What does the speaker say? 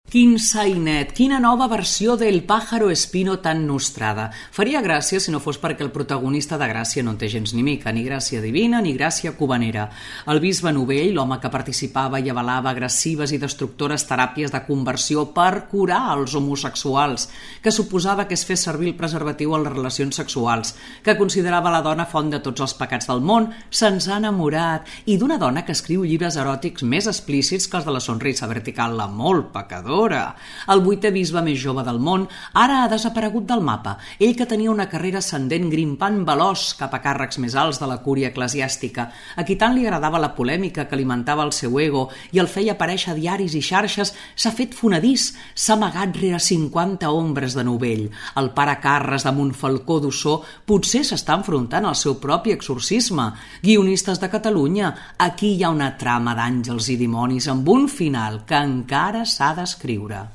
Quin sainet, quina nova versió del Pájaro Espino tan nostrada. Faria gràcia si no fos perquè el protagonista de Gràcia no en té gens ni mica, ni gràcia divina ni gràcia cubanera. El bisbe Novell, l'home que participava i avalava agressives i destructores teràpies de conversió per curar els homosexuals, que suposava que es fes servir el preservatiu en les relacions sexuals, que considerava la dona font de tots els pecats del món, se'ns ha enamorat, i d'una dona que escriu llibres eròtics més explícits que els de la sonrisa vertical, la molt pecadora. El 8è bisbe més jove del món ara ha desaparegut del mapa. Ell que tenia una carrera ascendent grimpant veloç cap a càrrecs més alts de la cúria eclesiàstica, a qui tant li agradava la polèmica que alimentava el seu ego i el feia aparèixer a diaris i xarxes, s'ha fet fonedís, s'ha amagat rere 50 ombres de Novell. El pare Carres de Montfalcó d'Ossó potser s'està enfrontant al seu propi exorcisme. Guionistes de Catalunya, aquí hi ha una trama d'àngels i dimonis amb un final que encara s'ha d'escriure.